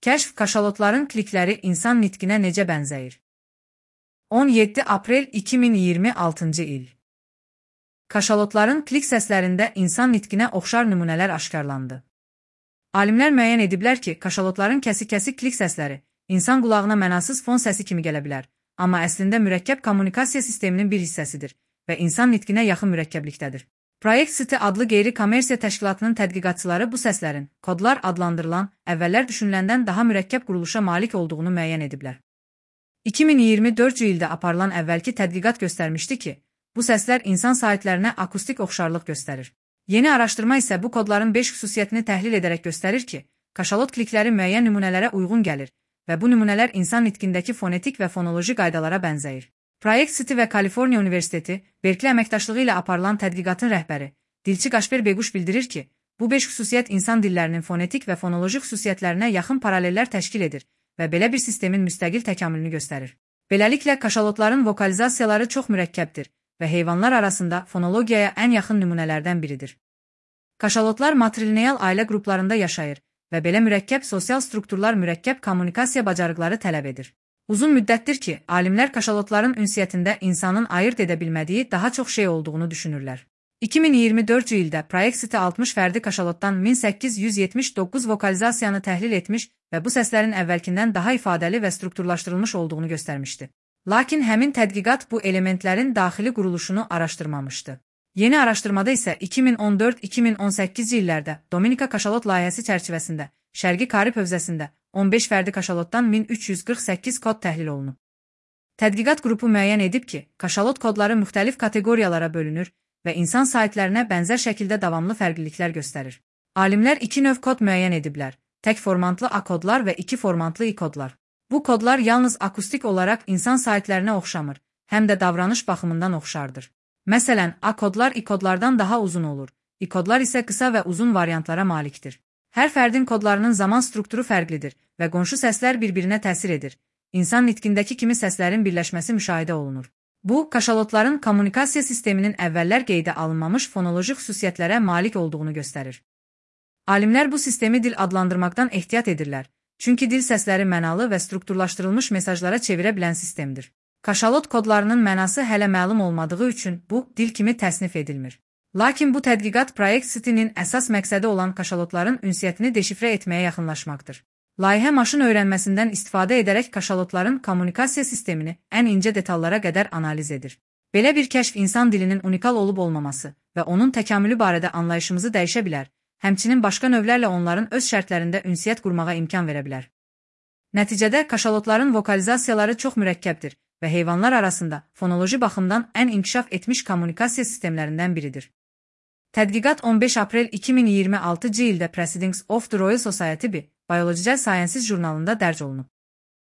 Kəşf kaşalotların klikləri insan nitqinə necə bənzəyir? 17 aprel 2026-cı il. Kaşalotların klik səslərində insan nitqinə oxşar nümunələr aşkarlandı. Alimlər müəyyən ediblər ki, kaşalotların kəsik-kəsik klik səsləri insan qulağına mənasız fon səsi kimi gələ bilər, amma əslində mürəkkəb kommunikasiya sisteminin bir hissəsidir və insan nitqinə yaxın mürəkkəblikdədir. Project City adlı qeyri-kommersiya təşkilatının tədqiqatçıları bu səslərin kodlar adlandırılan, əvvəllər düşünüləndən daha mürəkkəb quruluşa malik olduğunu müəyyən ediblər. 2024-cü ildə aparılan əvvəlki tədqiqat göstərmişdi ki, bu səslər insan saitlərinə akustik oxşarlıq göstərir. Yeni araşdırma isə bu kodların 5 xüsusiyyətini təhlil edərək göstərir ki, kaşalot klikləri müəyyən nümunələrə uyğun gəlir və bu nümunələr insan nitqindəki fonetik və fonoloji qaydalara bənzəyir. Project City və Kaliforniya Universiteti, Berkeley əməkdaşlığı ilə aparılan tədqiqatın rəhbəri, dilçi Qaşper Bequş bildirir ki, bu 5 xüsusiyyət insan dillərinin fonetik və fonoloji xüsusiyyətlərinə yaxın paralellər təşkil edir və belə bir sistemin müstəqil təkamülünü göstərir. Beləliklə, kaşalotların vokalizasiyaları çox mürəkkəbdir və heyvanlar arasında fonologiyaya ən yaxın nümunələrdən biridir. Kaşalotlar matrilineal ailə qruplarında yaşayır və belə mürəkkəb sosial strukturlar mürəkkəb kommunikasiya bacarıqları tələb edir. Uzun müddətdir ki, alimlər kaşalotların ünsiyyətində insanın ayırt edə bilmədiyi daha çox şey olduğunu düşünürlər. 2024-cü ildə Project City 60 fərdi kaşalotdan 1879 vokalizasiyanı təhlil etmiş və bu səslərin əvvəlkindən daha ifadəli və strukturlaşdırılmış olduğunu göstərmişdi. Lakin həmin tədqiqat bu elementlərin daxili quruluşunu araşdırmamışdı. Yeni araşdırmada isə 2014-2018-ci illərdə Dominika kaşalot layihəsi çərçivəsində Şərqi Karib hövzəsində 15 fərdi kaşalotdan 1348 kod təhlil olunub. Tədqiqat qrupu müəyyən edib ki, kaşalot kodları müxtəlif kateqoriyalara bölünür və insan saitlərinə bənzər şəkildə davamlı fərqliliklər göstərir. Alimlər 2 növ kod müəyyən ediblər: tək formantlı A kodlar və 2 formantlı I kodlar. Bu kodlar yalnız akustik olaraq insan saitlərinə oxşamır, həm də davranış baxımından oxşardır. Məsələn, A kodlar I kodlardan daha uzun olur, I kodlar isə qısa və uzun variantlara malikdir. Hər fərdin kodlarının zaman strukturu fərqlidir və qonşu səslər bir-birinə təsir edir. İnsan nitqindəki kimi səslərin birləşməsi müşahidə olunur. Bu, kaşalotların kommunikasiya sisteminin əvvəllər qeydə alınmamış fonoloji xüsusiyyətlərə malik olduğunu göstərir. Alimlər bu sistemi dil adlandırmaqdan ehtiyat edirlər, çünki dil səsləri mənalı və strukturlaşdırılmış mesajlara çevirə bilən sistemdir. Kaşalot kodlarının mənası hələ məlum olmadığı üçün bu, dil kimi təsnif edilmir. Lakin bu tədqiqat Project City-nin əsas məqsədi olan kaşalotların ünsiyyətini deşifrə etməyə yaxınlaşmaqdır. Layihə maşın öyrənməsindən istifadə edərək kaşalotların kommunikasiya sistemini ən incə detallara qədər analiz edir. Belə bir kəşf insan dilinin unikal olub-olmaması və onun təkamülü barədə anlayışımızı dəyişə bilər, həmçinin başqa növlərlə onların öz şərtlərində ünsiyyət qurmağa imkan verə bilər. Nəticədə kaşalotların vokalizasiyaları çox mürəkkəbdir və heyvanlar arasında fonoloji baxımdan ən inkişaf etmiş kommunikasiya sistemlərindən biridir. Tədqiqat 15 aprel 2026-cı ildə Proceedings of the Royal Society Biological Sciences jurnalında dərc olunub.